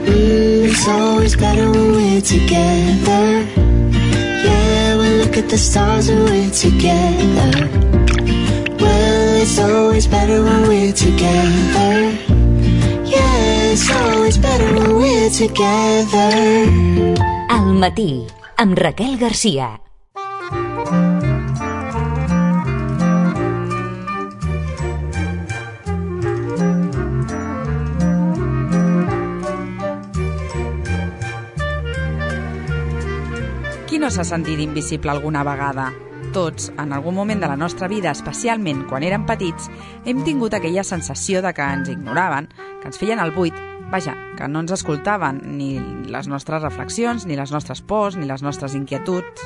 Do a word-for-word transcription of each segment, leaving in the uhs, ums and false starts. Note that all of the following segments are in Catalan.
Mm, it's always better when we're together. Yeah, we look at the stars when we're together. Well, it's always better when we're together. Yeah, it's always better when we're together. Al matí, amb Raquel Garcia. Qui no s'ha sentit invisible alguna vegada? Tots, en algun moment de la nostra vida, especialment quan érem petits, hem tingut aquella sensació de que ens ignoraven, que ens feien el buit, vaja, que no ens escoltaven ni les nostres reflexions, ni les nostres pors, ni les nostres inquietuds.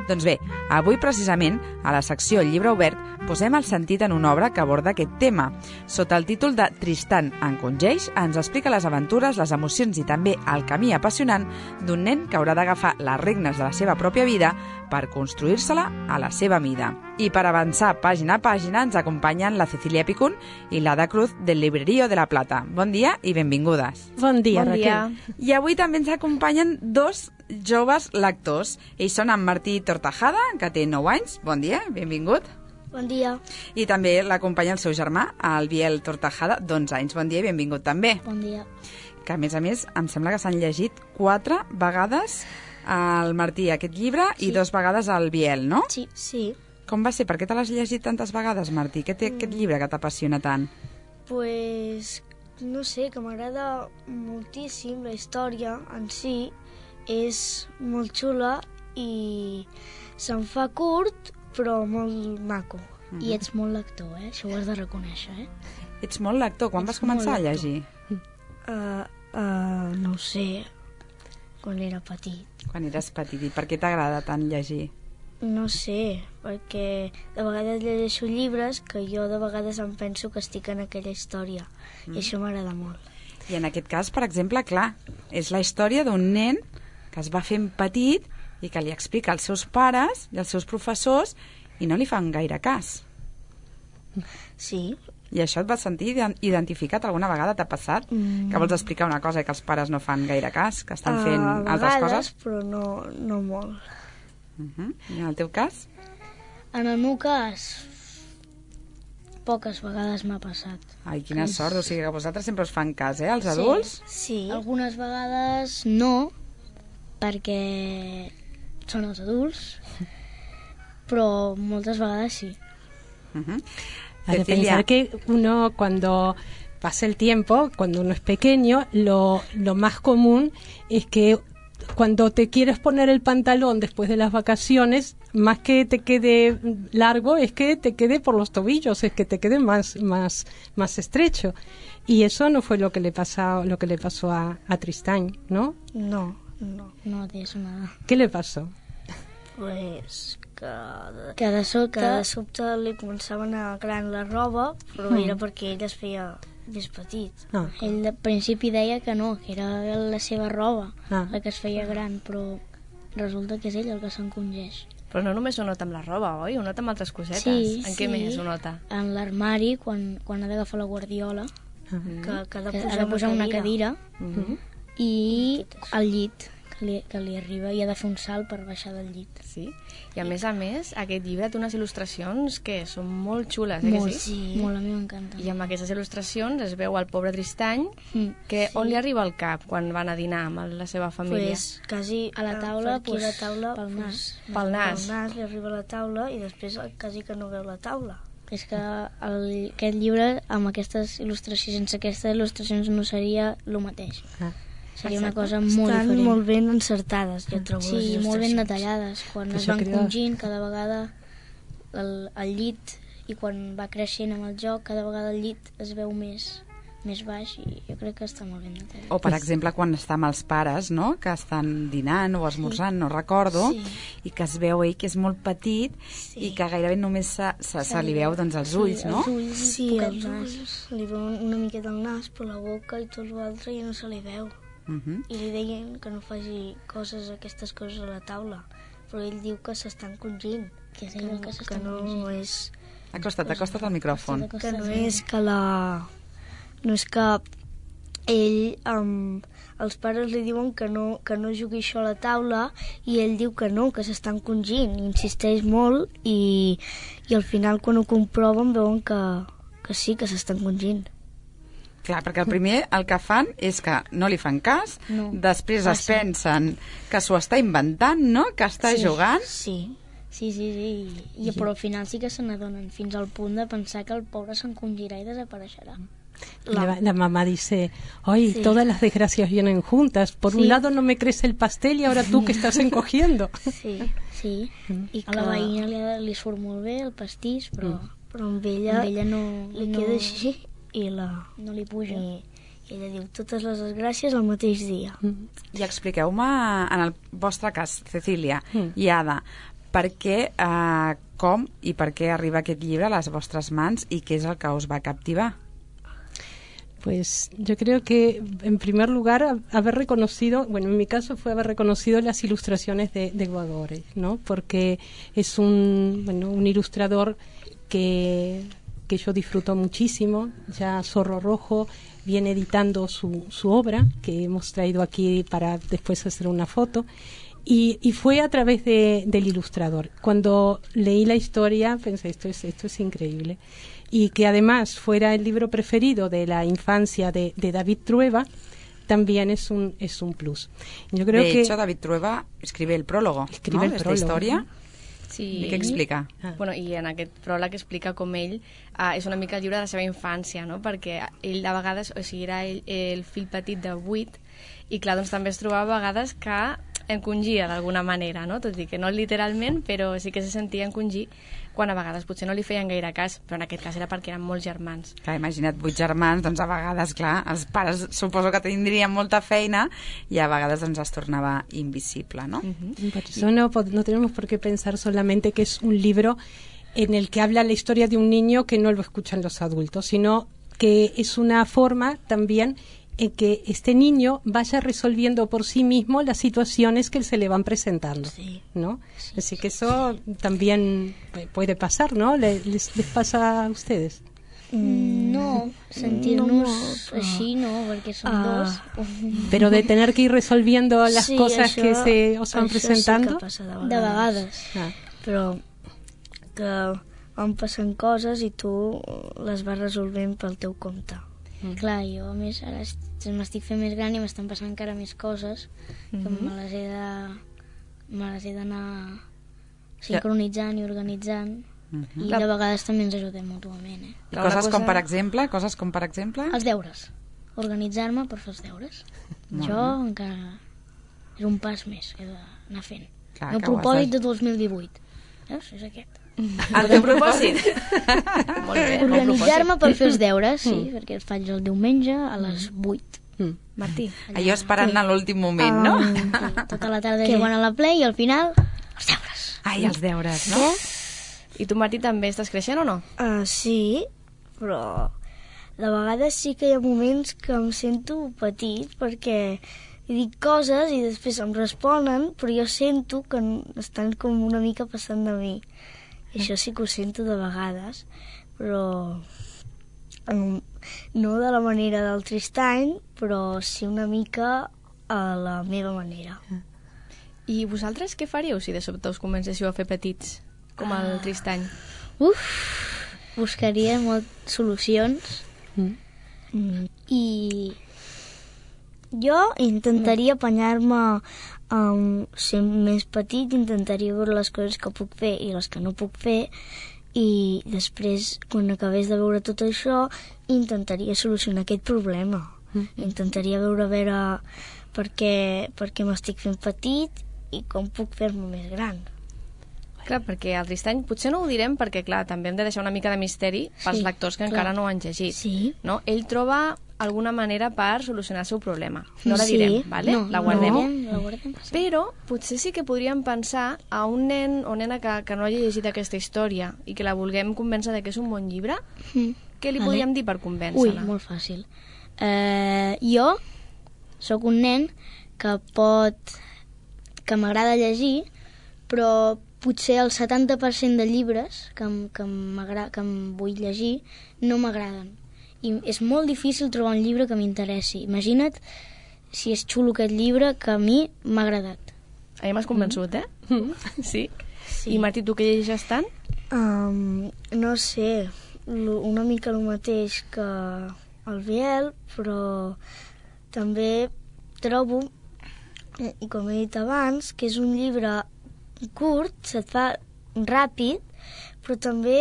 Doncs bé, avui precisament, a la secció Llibre Obert, posem el sentit en una obra que aborda aquest tema. Sota el títol de Tristan en Congeix, ens explica les aventures, les emocions i també el camí apassionant d'un nen que haurà d'agafar les regnes de la seva pròpia vida per construir-se-la a la seva mida. I per avançar pàgina a pàgina ens acompanyen la Cecilia Picún i l'Ada Cruz del Librerío de la Plata. Bon dia i benvingudes. Bon dia, bon Raquel. Dia. I avui també ens acompanyen dos joves lectors. Ells són en Martí Tortajada, que té nou anys. Bon dia, benvingut. Bon dia. I també l'acompanya el seu germà, el Biel Tortajada, d'onze anys. Bon dia i benvingut també. Bon dia. Que a més a més em sembla que s'han llegit quatre vegades al Martí aquest llibre sí. i dues vegades al Biel, no? Sí, sí. Com va ser? Per què te l'has llegit tantes vegades, Martí? Què té mm. aquest llibre que t'apassiona tant? Pues, no sé, que m'agrada moltíssim la història en si. És molt xula i se'n fa curt, però molt maco. Mm-hmm. I ets molt lector, eh? Això ho has de reconèixer, eh? Ets molt lector. Quan ets vas començar a llegir? Uh, uh, no ho sé, quan era petit. Quan eres petit. I per què t'agrada tant llegir? No sé, perquè de vegades llegeixo llibres que jo de vegades em penso que estic en aquella història. Mm. I això m'agrada molt. I en aquest cas, per exemple, clar, és la història d'un nen que es va fent petit i que li explica als seus pares i als seus professors i no li fan gaire cas. Sí. I això et vas sentir identificat alguna vegada? T'ha passat? Mm. Que vols explicar una cosa i que els pares no fan gaire cas, que estan fent uh, altres vegades, coses? Però no, no molt. Uh-huh. I en el teu cas? En el meu cas, poques vegades m'ha passat. Ai, quina que... sort, o sigui que vosaltres sempre us fan cas, eh, els adults? Sí, sí. Algunes vegades no, perquè són els adults, pero moltes vegades sí. Uh-huh. Hay que pensar que uno cuando pasa el tiempo, cuando uno es pequeño, lo, lo más común es que cuando te quieres poner el pantalón después de las vacaciones, más que te quede largo, es que te quede por los tobillos, es que te quede más, más, más estrecho. Y eso no fue lo que le pasó, lo que le pasó a, a Tristán, ¿no? No, no, no de eso nada. ¿Qué le pasó? Pues que de, que de sobte, que de sobte li començava a anar gran la roba, però mm. era perquè ell es feia més petit. Ah. Ell de principi deia que no, que era la seva roba ah. la que es feia gran, però resulta que és ell el que s'encongeix. Però no només ho nota amb la roba, oi? Ho nota amb altres cosetes. Sí, en sí. què més ho nota? En l'armari, quan, quan ha d'agafar la guardiola, mm-hmm. que, que ha de posar, ha de posar una cadira, una cadira mm-hmm. i al llit, que li, que li arriba i ha de fer un salt per baixar del llit. Sí? I a més a més, aquest llibre té unes il·lustracions que són molt xules, eh? Molt, que sí? sí, molt, a mi m'encanta. I amb aquestes il·lustracions es veu el pobre Tristany, mm, que sí. on li arriba al cap quan van a dinar amb la seva família? Pues quasi a la taula, pues, la taula pel nas. Pues, pel nas. Pel nas li arriba a la taula i després quasi que no veu la taula. És que el, aquest llibre, amb aquestes il·lustracions, sense aquestes il·lustracions no seria el mateix. Ah. Seria una cosa molt Estan diferent. molt ben encertades, jo trobo. Sí, molt ben detallades. Quan es van crida... congint, cada vegada el, el llit, i quan va creixent amb el joc, cada vegada el llit es veu més, més baix, i jo crec que està molt ben detallat. O, per exemple, quan està amb els pares, no?, que estan dinant o esmorzant, sí. no recordo, sí. i que es veu ell que és molt petit sí. i que gairebé només se, se, se li veu doncs, els ulls, sí, no? Els ulls, sí, els ulls. Li veu una miqueta el nas, però la boca i tot l'altre ja no se li veu. Uh-huh. I li deien que no faci coses, aquestes coses a la taula, però ell diu que s'estan congint, que, que, que, que no congint. És... Acosta't, acosta't al micròfon. Que no és que la... no és que ell um, els pares li diuen que no, que no jugui això a la taula i ell diu que no, que s'estan congint, insisteix molt i, i al final quan ho comproven veuen que, que sí, que s'estan congint. Clar, perquè el primer el que fan és que no li fan cas, no. després ah, es sí. pensen que s'ho està inventant, no?, que està sí, jugant. Sí, sí, sí, sí. I, però al final sí que se n'adonen fins al punt de pensar que el pobre s'encongirà i desapareixerà. La, la, la mamá dice, ay, sí. todas las desgracias vienen juntas. Por sí. un lado no me crece el pastel y ahora tú que estás encogiendo. Sí, sí. Mm. I que... a la veïna li, li surt molt bé el pastís, però, mm. però amb ella, amb ella no, li no... queda així. I la... no li puja. I, i ella diu totes les desgràcies al mateix dia. Mm. I expliqueu-me, en el vostre cas, Cecília mm. i Ada, per què, eh, com i per què arriba aquest llibre a les vostres mans i què és el que us va captivar? Pues yo creo que, en primer lugar, haber reconocido, bueno, en mi caso fue haber reconocido las ilustraciones de, de Guadores, ¿no? Porque es un, bueno, un ilustrador que... que yo disfruto muchísimo. Ya Zorro Rojo viene editando su, su obra, que hemos traído aquí para después hacer una foto, y, y fue a través de, del ilustrador. Cuando leí la historia pensé, esto es, esto es increíble, y que además fuera el libro preferido de la infancia de, de David Trueba, también es un, es un plus. Yo creo de que, hecho, David Trueba escribe el prólogo, escribe ¿no? el prólogo, esta història. ¿no? Sí. I què explica? Ah. Bueno, i en aquest pròleg explica com ell uh, és una mica el llibre de la seva infància, no? Perquè ell a vegades, o sigui, era ell, el fill petit de vuit, i clar, doncs també es trobava a vegades que encongia d'alguna manera, no? Tot i que no literalment, però sí que se sentia encongir quan a vegades potser no li feien gaire cas, però en aquest cas era perquè eren molts germans. Clar, imagina't vuit germans, doncs a vegades, clar, els pares suposo que tindrien molta feina i a vegades doncs es tornava invisible, ¿no? Uh-huh. Por eso no, no tenemos por qué pensar solamente que es un libro en el que habla la historia de un niño que no lo escuchan los adultos, sino que es una forma también en que este niño vaya resolviendo por sí mismo las situaciones que se le van presentando, sí. ¿no? Sí, Así que eso sí. también puede pasar, ¿no? ¿Les, les pasa a ustedes? No, sentir-nos no, així no, perquè som ah. dos. Pero de tener que ir resolviendo las sí, cosas això, que se os van presentando. Sí que passa de vegades. De vegades. Ah. Però que van passant coses i tu les vas resolvent pel teu compte. Mm. Clar, jo a més ara m'estic fent més gran i m'estan passant encara més coses mm-hmm. que me les he de me les he d'anar sincronitzant i organitzant mm-hmm. i de vegades també ens ajudem mútuament, eh? I coses cosa... com per exemple? Coses com per exemple? Els deures. Organitzar-me per fer els deures. Molt jo bé. Encara és un pas més que he d'anar fent. Clar, el propòsit de dos mil divuit. Veus? És aquest. El teu propòsit? Molt bé. Organitzar-me per fer els deures, sí, mm. perquè els faig el diumenge a les vuit. Mm. Martí. Allà, allò esperant sí. a l'últim moment, no? Um, sí, tota la tarda jugant a la Play i al final els deures. Ai, els deures, no? Què? I tu, Martí, també estàs creixent o no? Uh, sí, però de vegades sí que hi ha moments que em sento petit perquè dic coses i després em responen, però jo sento que estan com una mica passant de mi. I això sí que ho sento de vegades, però um, no de la manera del Tristany, però sí una mica a la meva manera. I vosaltres què faríeu si de sobte us comencéssiu a fer petits, com el uh, Tristany? Uf, buscaria molt solucions mm. Mm, i jo intentaria apanyar-me Um, ser més petit, intentaria veure les coses que puc fer i les que no puc fer i després, quan acabés de veure tot això, intentaria solucionar aquest problema. Mm-hmm. Intentaria veure a veure per què, per què m'estic fent petit i com puc fer-me més gran. Clar, perquè el Tristany potser no ho direm perquè, clar, també hem de deixar una mica de misteri pels sí, lectors que clar. encara no ho han llegit. Sí. No? Ell troba alguna manera per solucionar el seu problema. No la direm, sí. vale? No, la guardem. No, la guardem. Però potser sí que podríem pensar a un nen o nena que, que no hagi llegit aquesta història i que la vulguem convèncer de que és un bon llibre. Mm. Què li vale. podríem dir per convèncer-la? Ui, molt fàcil. Uh, jo sóc un nen que pot... que m'agrada llegir, però potser el setanta per cent de llibres que, que, que em vull llegir no m'agraden. I és molt difícil trobar un llibre que m'interessi. Imagina't si és xulo aquest llibre, que a mi m'ha agradat. A mi m'has convençut, eh? Mm. Sí? Sí. I Martí, tu què llegeixes tant? Um, no sé, una mica el mateix que el Biel, però també trobo, i com he dit abans, que és un llibre curt, se't fa ràpid, però també,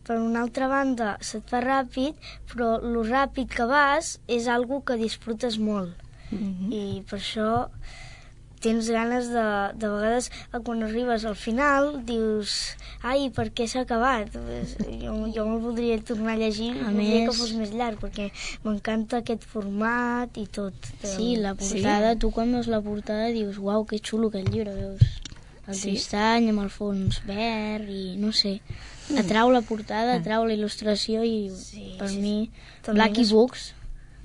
per una altra banda, se't fa ràpid, però lo ràpid que vas és algo que disfrutes molt. Mm-hmm. I per això tens ganes de, de vegades, quan arribes al final, dius, ai, per què s'ha acabat? Jo, jo me'l voldria tornar a llegir, a voldria més... que fos més llarg, perquè m'encanta aquest format i tot. Sí, la portada, sí. Tu quan veus la portada dius, uau, que xulo aquest llibre, veus? El sí. Tristany amb el fons verd i no sé, atrau la portada, atrau la il·lustració i sí, per sí. mi, Blacky Books,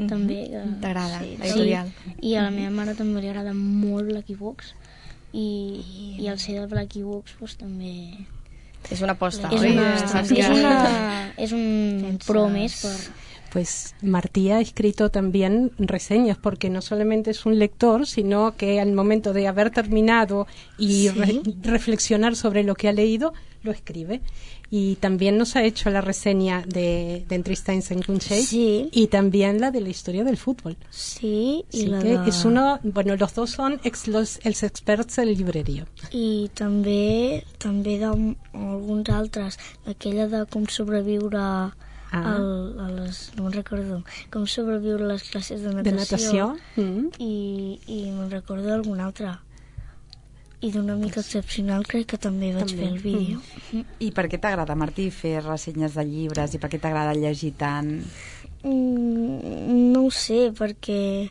Mm-hmm. també. T'agrada, sí, l'editorial. Sí. I a la meva mare també li agrada molt Blacky Books i, i el ser del Blacky Books pues, també... És una aposta, és oi? Una, és, una, és un pro més per... Pues Martí ha escrito también reseñas, porque no solamente es un lector, sino que al momento de haber terminado y ¿sí? re reflexionar sobre lo que ha leído, lo escribe. Y también nos ha hecho la reseña de, de Tristany Saint Cunxell sí. y también la de la historia del fútbol. Sí, y la que de... es uno, bueno, los dos son ex, los, els experts del llibreria. I també també d'alguns altres, aquella de com sobreviure ah. al, a les, no me'n recordo, com sobreviure a les classes de natació, de natació. Mm. i, i me'n recordo d'algun altre. I d'una mica excepcional crec que també vaig també. fer el vídeo. Mm. I per què t'agrada, Martí, fer ressenyes de llibres i per què t'agrada llegir tant? Mm, no ho sé, perquè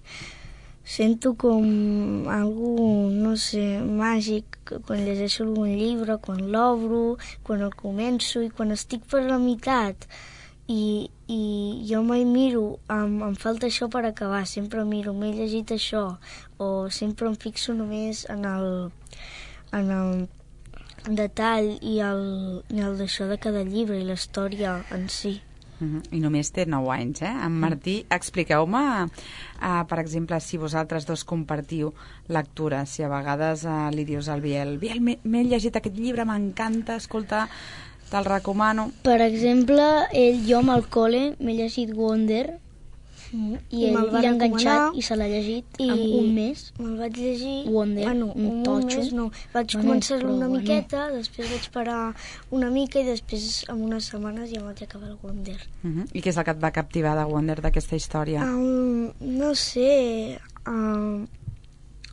sento com algú, no sé, màgic quan llegeixo algun llibre, quan l'obro, quan el començo i quan estic per la meitat. I, i jo mai miro, em, em falta això per acabar, sempre miro, m'he llegit això, o sempre em fixo només en el, en el detall i el, i el d'això de cada llibre i la història en si. Uh-huh. I només té nou anys, eh? En Martí, expliqueu-me, uh, per exemple, si vosaltres dos compartiu lectura, si a vegades uh, li dius al Biel, Biel, m'he llegit aquest llibre, m'encanta, escolta, te'l recomano. Per exemple, ell, jo amb el col·le m'he llegit Wonder mm. i ell l'ha enganxat i se l'ha llegit i en un mes. Me'l vaig llegir... Wonder, bueno, un, un mes no. Vaig bueno, començar-lo una bueno. miqueta, després vaig parar una mica i després en unes setmanes ja vaig acabar el Wonder. Uh-huh. I què és el que et va captivar de Wonder, d'aquesta història? Um, no sé... Um,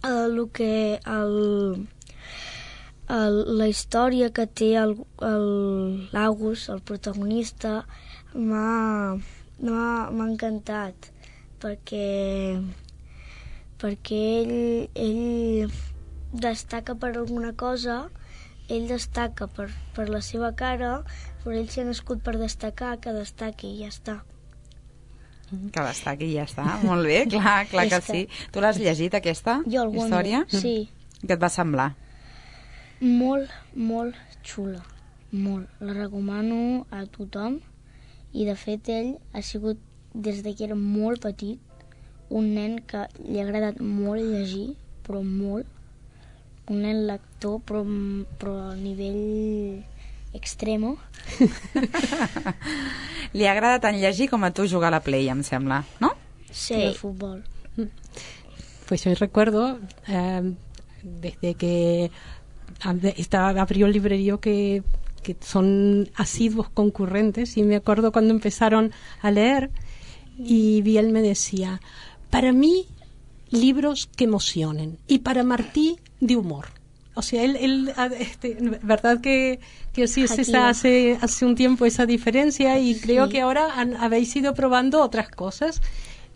el que... El... El, la història que té l'August, el, el protagonista, m'ha encantat perquè, perquè ell, ell destaca per alguna cosa, ell destaca per, per la seva cara, però ell s'ha nascut per destacar, que destaqui i ja està. Que destaqui i ja està, molt bé, clar, clar que sí. Tu l'has llegit, aquesta jo, història? Sí. Què et va semblar? Molt, molt xula, molt. La recomano a tothom i de fet ell ha sigut, des de que era molt petit, un nen que li ha agradat molt llegir, però molt. Un nen lector, però, però a nivell extremo. Li agrada tant llegir com a tu jugar a la Play, em sembla, no? Sí. Y el fútbol. Pues yo recuerdo, eh, desde que estaba, abrió el librerío que, que son asiduos concurrentes, y me acuerdo cuando empezaron a leer y Biel me decía, para mí libros que emocionen y para Martí de humor. O sea, él, él este, verdad que, que sí es esa, hace, hace un tiempo esa diferencia y sí. Creo que ahora han, habéis ido probando otras cosas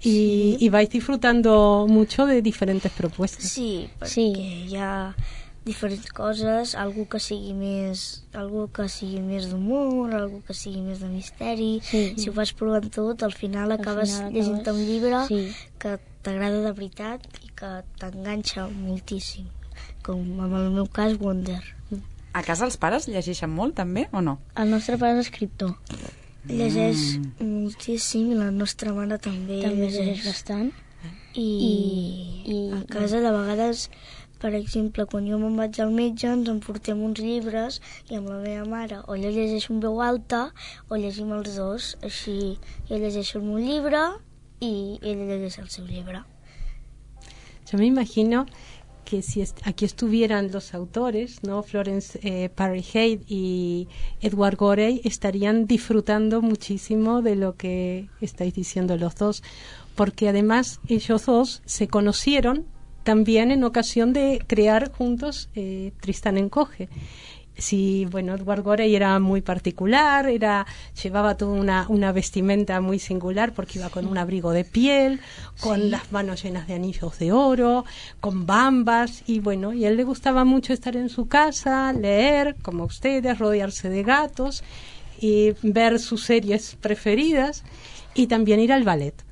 y, sí. Y vais disfrutando mucho de diferentes propuestas. Sí, perquè sí. Hi ha diferents coses, algú que sigui més, algú que sigui més d'humor, algú que sigui més de misteri. Sí. Si ho vas provant tot, al final acabes llegint un llibre sí. Que t'agrada de veritat i que t'enganxa moltíssim, com en el meu cas Wonder. A casa els pares llegeixen molt també o no? El nostre pare és escriptor. Mm. Llegeix moltíssim i la nostra mare també. També llegeix bastant. I, i a casa de vegades, per exemple, quan jo me'n vaig al metge ens emportem uns llibres i amb la meva mare o jo llegeixo en veu alta o llegim els dos. Així jo llegeixo el meu llibre y ella llegeix el seu llibre. Yo me imagino que si est aquí estuvieran los autores, ¿no? Florence eh, Parry Hayes y Edward Gorey, estarían disfrutando muchísimo de lo que estáis diciendo los dos, porque además ellos dos se conocieron también en ocasión de crear juntos eh, Tristán encoge. Sí, bueno, Edward Gorey era muy particular, era llevaba toda una, una vestimenta muy singular porque iba con un abrigo de piel, con sí. las manos llenas de anillos de oro, con bambas, y bueno, y a él le gustaba mucho estar en su casa, leer, como ustedes, rodearse de gatos y ver sus series preferidas y también ir al ballet.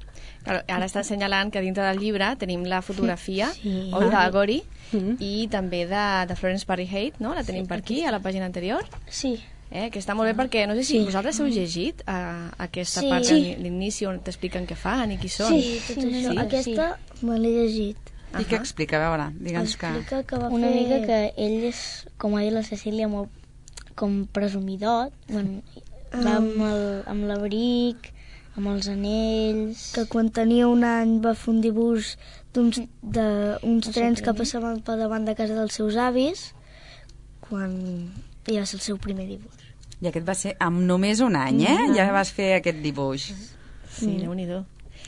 Claro, ara està assenyalant que dintre del llibre tenim la fotografia sí. oi, de Gorey mm. i també de, de Florence Parry Hayes, no? La tenim sí, per aquí, a la pàgina anterior. Sí. Eh, que està molt bé perquè no sé si sí. vosaltres heu llegit a, a aquesta sí. part, sí. l'inici on t'expliquen què fan i qui són. Sí, tot sí. això. Sí. Aquesta sí. me l'he llegit. I què explica? A veure, digue'ns que... Explica que va una fer... mica que ell és, com ha dit la Cecília, molt com presumidot, bueno, um... va amb l'abric, amb els anells... Que quan tenia un any va fer un dibuix d'uns d'uns trens que passaven per davant de casa dels seus avis, quan ja va ser el seu primer dibuix. I aquest va ser amb només un any, eh? Mm. Ja vas fer aquest dibuix. Sí, mm. Déu-n'hi-do.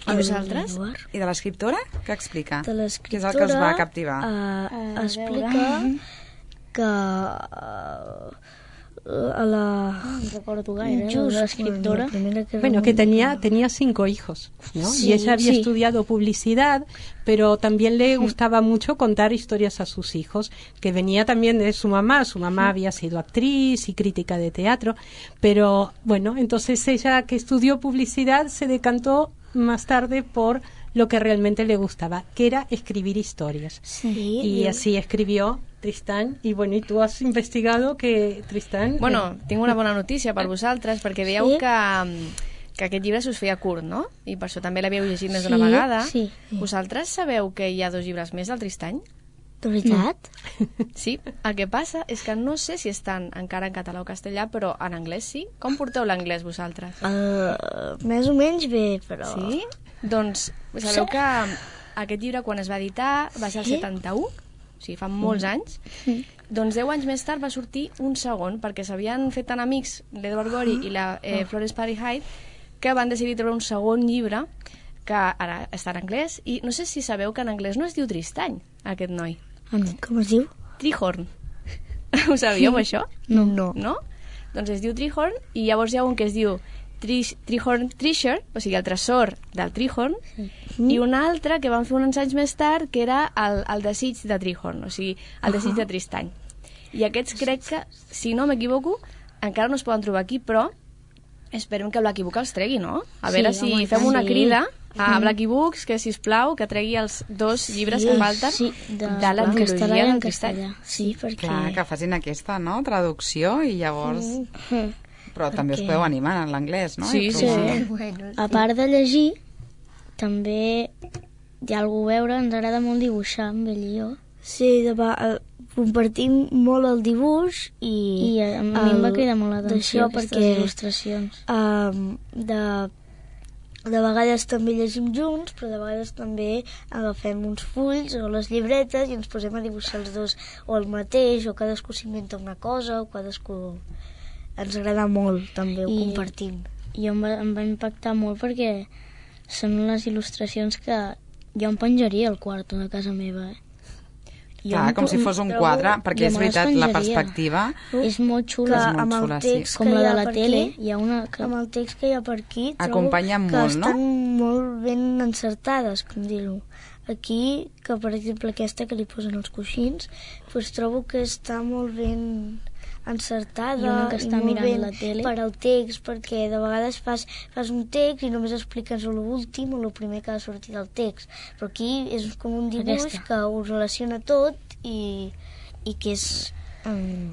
I vosaltres? I de l'escriptora? Què explica? De l'escriptora... Què és el que els va captivar? Uh, uh, explica que... Uh, a la no recuerdo gaire, just, la escriptora bueno, que, bueno, que tenía, tenía cinco hijos, ¿no? Sí, y ella había sí. estudiado publicidad, pero también le sí. gustaba mucho contar historias a sus hijos, que venía también de su mamá. Su mamá sí. había sido actriz y crítica de teatro, pero bueno, entonces ella, que estudió publicidad, se decantó más tarde por lo que realmente le gustaba, que era escribir historias. Sí, y así escribió Tristán, i bueno, i tu has investigat que Tristán... Bueno, eh... tinc una bona notícia per vosaltres, perquè veieu sí? que, que aquest llibre s'us feia curt, no? I per això també l'havíeu llegit més d'una sí, vegada. Sí, sí. Vosaltres sabeu que hi ha dos llibres més del Tristany? De veritat? Sí, el que passa és que no sé si estan encara en català o castellà, però en anglès sí. Com porteu l'anglès vosaltres? Uh, més o menys bé, però... Sí? Doncs sabeu que aquest llibre, quan es va editar, va ser el setanta-u, o sigui, fa molts anys. Mm. Doncs deu anys més tard va sortir un segon, perquè s'havien fet tan amics l'Edward Gorey i la eh, Florence Parry Hayes que van decidir treure un segon llibre que ara està en anglès, i no sé si sabeu que en anglès no es diu Tristany, aquest noi. Ah, no. Com es diu? Treehorn. Ho sabíeu, això? No. No. No? Doncs es diu Treehorn, i llavors hi ha un que es diu Treehorn Treasure, o sigui, el tresor del Treehorn, sí. i un altre que van fer uns anys més tard, que era el, el desig de Treehorn, o sigui, el desig uh -huh. de Tristany. I aquests crec que, si no m'equivoco, encara no es poden trobar aquí, però esperem que Blacky Book els tregui, no? A veure sí, si home, fem una sí. crida a Blacky Books, que, sisplau, que tregui els dos llibres sí, que falten sí, de, de la trilogia del Tristany. Sí, perquè... Clar, que facin aquesta, no?, traducció, i llavors... Mm. Però perquè... també us podeu animar en l'anglès, no? Sí, sí. Bueno, a part de llegir, també hi ha algú a veure, ens agrada molt dibuixar amb ell i jo. Sí, de va, compartim molt el dibuix i... I a, a mi em va cridar molt l'atenció aquestes perquè, il·lustracions. Um, de, de vegades també llegim junts, però de vegades també agafem uns fulls o les llibretes i ens posem a dibuixar els dos o el mateix, o cadascú s'inventa una cosa, o cadascú... Ens agrada molt, també, ho I, compartim. I em va, em va impactar molt perquè són les il·lustracions que jo em penjaria al quarto de casa meva. Eh? Clar, com si fos un quadre, perquè és veritat, la perspectiva... És molt xula, és molt xula, sí. Com la de la tele. Hi ha una que... Amb el text que hi ha per aquí, acompanya trobo molt, que no? estan molt ben encertades, com dir-ho. Aquí, que per exemple aquesta que li posen els coixins, doncs trobo que està molt ben... encertada i una que està i molt mirant la tele per al text, perquè de vegades fas, fas un text i només expliques l'últim o el primer que ha sortit del text, però aquí és com un dibuix Aquesta. que ho relaciona tot i, i que és um,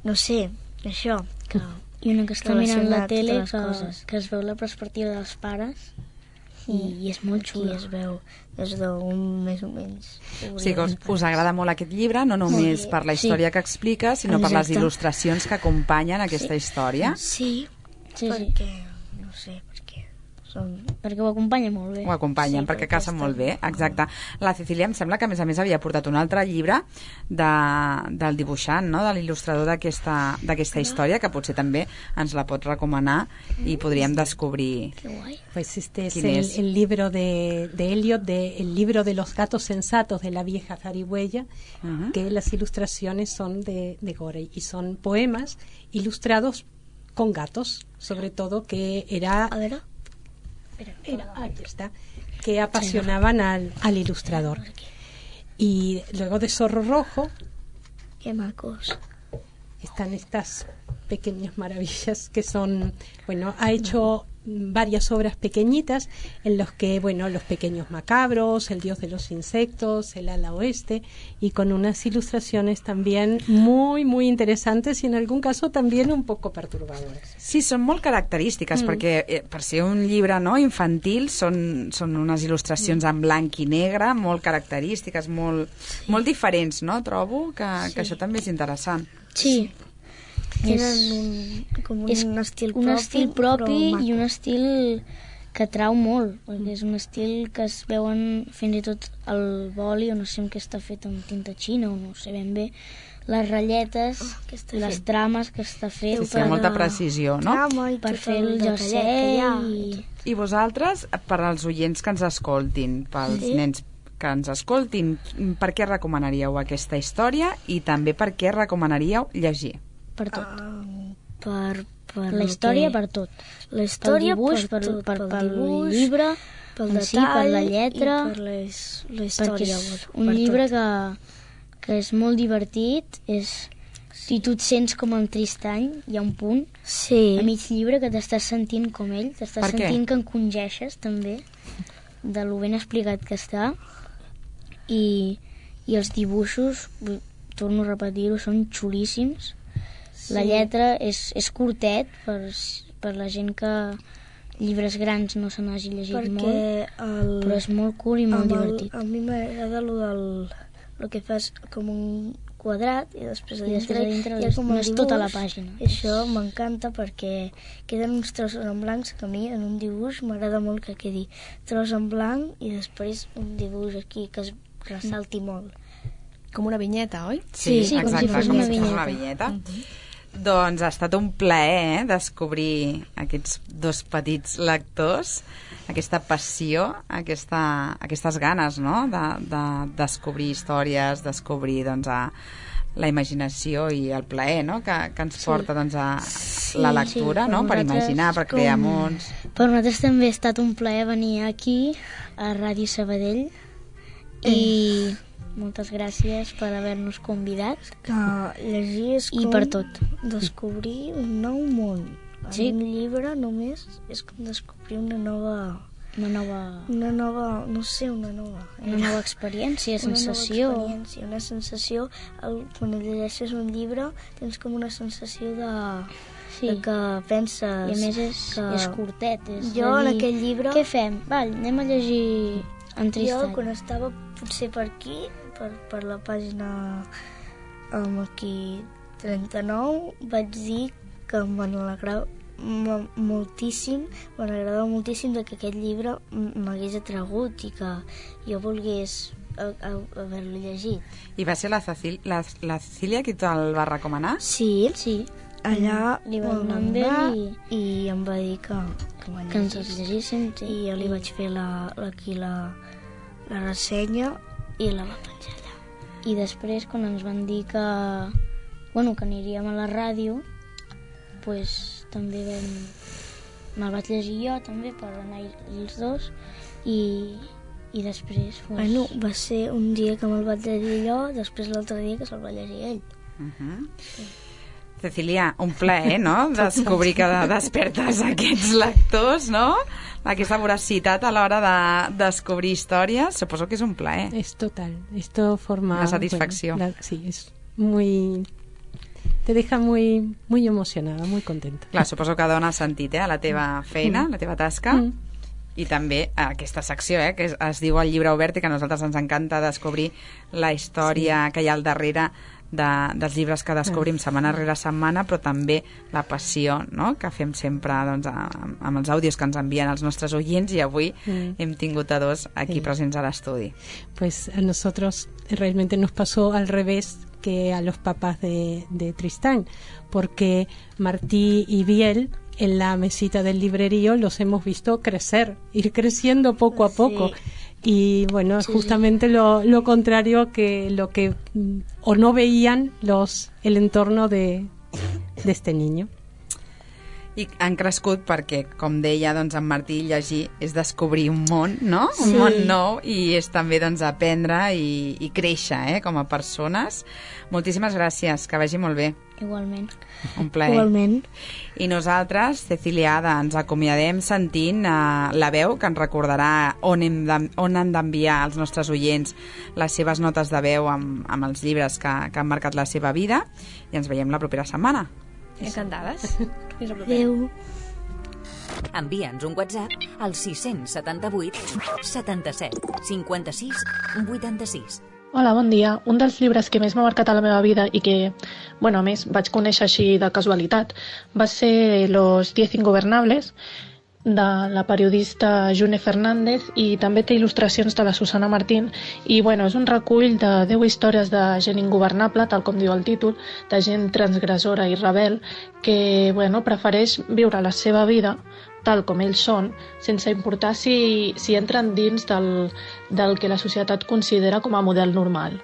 no sé, això que i una que està mirant la tele que, que es veu la perspectiva dels pares i, i és molt xulo. I es veu des d'un més o menys. O sigui que us, us agrada molt aquest llibre, no només per la història sí. que explica, sinó Exacte. per les il·lustracions que acompanyen aquesta sí. història. Sí, sí, perquè, no sé, perquè... Són... perquè ho acompanya molt bé. Ho acompanyen, sí, perquè casen molt bé, exacte. La Cecília em sembla que a més a més havia portat un altre llibre de, del dibuixant, no? De l'il·lustrador d'aquesta història, que potser també ens la pot recomanar i podríem descobrir pues este es el, el libro de, de Eliot, de El libro de los gatos sensatos de la vieja zarigüeya, uh-huh. que las ilustraciones son de, de Gorey y son poemas ilustrados con gatos, sobre todo, que era... A ver... Era, ahí está, que apasionaban al, al ilustrador. Y luego de Zorro Rojo, qué macos, están estas pequeñas maravillas que son, bueno, ha hecho varias obras pequeñitas en los que, bueno, Los Pequeños Macabros, El Dios de los Insectos, El Ala Oeste, y con unas ilustraciones también muy, muy interesantes y en algún caso también un poco perturbadoras. Sí, són molt característiques, mm. perquè eh, per ser un llibre no, infantil són, són unes il·lustracions mm. en blanc i negre molt característiques, molt, sí. molt diferents, no? Trobo que, sí. que això també és interessant. Sí. Tenen un, com un, és un estil un propi, estil propi i un estil que atrau molt, perquè és un estil que es veuen fins i tot el boli, o no sé què està fet amb tinta xina, o no sé ben bé, les ratlletes, oh, les fet? trames que està fet. Sí, sí, amb molta precisió, no? Per fer el jersei. I... I vosaltres, per als oients que ens escoltin, pels sí. nens que ens escoltin, per què recomanaríeu aquesta història i també per què recomanaríeu llegir? Per tot. Uh, per, per la història, que... per tot. La història, pel dibuix, per, per, tot, per, pel pel dibuix, llibre, pel detall, detall, per la lletra, i per les, la història. Perquè és un llibre que, que és molt divertit, és... Si tu et sents com en Tristany, hi ha un punt sí. a mig llibre que t'estàs sentint com ell, t'estàs sentint que encongeixes també, de lo ben explicat que està, i, i els dibuixos, torno a repetir-ho, són xulíssims. Sí. La lletra és, és curtet per, per la gent que llibres grans no se n'hagi llegit perquè molt, el, però és molt cool i molt divertit. El, a mi m'agrada el del el que fas com un quadrat i després a dintre, I dintre hi ha com no és dibuix, tota la pàgina. I això m'encanta perquè queden uns trossos en blancs que a mi en un dibuix m'agrada molt que quedi tros en blanc i després un dibuix aquí que es ressalti molt. Com una vinyeta, oi? Sí, sí, exacte, com si fos com una si fos vinyeta. una vinyeta. Uh-huh. Doncs ha estat un plaer eh, descobrir aquests dos petits lectors, aquesta passió, aquesta, aquestes ganes no? de, de descobrir històries, descobrir doncs, a, la imaginació i el plaer no? que, que ens porta sí. doncs, a sí, la lectura, sí, no? per imaginar, per com... crear mons. Per nosaltres també ha estat un plaer venir aquí, a Ràdio Sabadell, mm. i... moltes gràcies per haver-nos convidat. Que llegir és com I per tot. Descobrir un nou món. Sí. Un llibre només és com descobrir una nova... Una nova... Una nova... no sé, una nova... Una nova experiència, sensació. Una nova experiència, una sensació... El, quan llegeixes un llibre tens com una sensació de... Sí. De que penses... I a més és, que... és curtet. És jo en dir, aquell llibre... Què fem? Val, anem a llegir en Tristany. Jo quan estava potser per aquí... Per, per la pàgina um, aquí trenta-nou vaig dir que m'alegrava moltíssim me n'agradava moltíssim de que aquest llibre m'hagués atragut i que jo volgués haver-lo llegit. I va ser la, Cecil, la, la Cecília qui te'l va recomanar? Sí, sí. Allà li va donar amb ell i... i em va dir que, que, que ens els llegíssim sí. I jo li vaig fer la, la, aquí la, la ressenya i la va penjar allà. I després, quan ens van dir que, bueno, que aniríem a la ràdio, pues, també vam... me'l vaig llegir jo, també, per anar els dos, i, i després... Pues... Bueno, va ser un dia que me'l vaig llegir jo, després l'altre dia que se'l va llegir ell. Uh-huh. Sí. Cecília, un plaer, no?, descobrir que despertes aquests lectors, no?, aquesta voracitat a l'hora de descobrir històries, suposo que és un plaer. Es total, esto forma... Una satisfacció. Bueno, la, sí, es muy... te deja muy, muy emocionada, muy contenta. Clar, suposo que dona sentit, eh, a la teva feina, mm. la teva tasca. Mm. I també aquesta secció, eh, que es, es diu El llibre obert, i que a nosaltres ens encanta descobrir la història sí. que hi ha al darrere de, dels llibres que descobrim setmana rere setmana, però també la passió, no?, que fem sempre doncs, amb, amb els àudios que ens envien els nostres oients, i avui mm. hem tingut a dos aquí sí. presents a l'estudi. Pues a nosotros realmente nos pasó al revés que a los papás de, de Tristán, porque Martí y Biel en la mesita del librerío los hemos visto crecer, ir creciendo poco a poco. Sí. Y bueno, sí. justamente lo, lo contrario que lo que o no veían los el entorno de, de este niño. I han crescut perquè, com deia, doncs, en Martí, llegir és descobrir un món, no? Sí. Un món nou, i és també doncs, aprendre i, i créixer eh? com a persones. Moltíssimes gràcies, que vagi molt bé. Igualment. Un plaer. Igualment. I nosaltres, Cecilia Ada, ens acomiadem sentint uh, la veu que ens recordarà on, hem de, on han d'enviar els nostres oients les seves notes de veu amb, amb els llibres que, que han marcat la seva vida, i ens veiem la propera setmana. Encantades. Adéu. Envia'ns un WhatsApp al sis set vuit setanta-set cinquanta-sis vuitanta-sis. Hola, bon dia. Un dels llibres que més m'ha marcat a la meva vida i que, bueno, a més, vaig conèixer així de casualitat, va ser Los diez ingobernables, de la periodista June Fernández, i també té il·lustracions de la Susana Martín, i bueno, és un recull de deu històries de gent ingovernable, tal com diu el títol, de gent transgressora i rebel que bueno, prefereix viure la seva vida tal com ells són, sense importar si, si entren dins del, del que la societat considera com a model normal.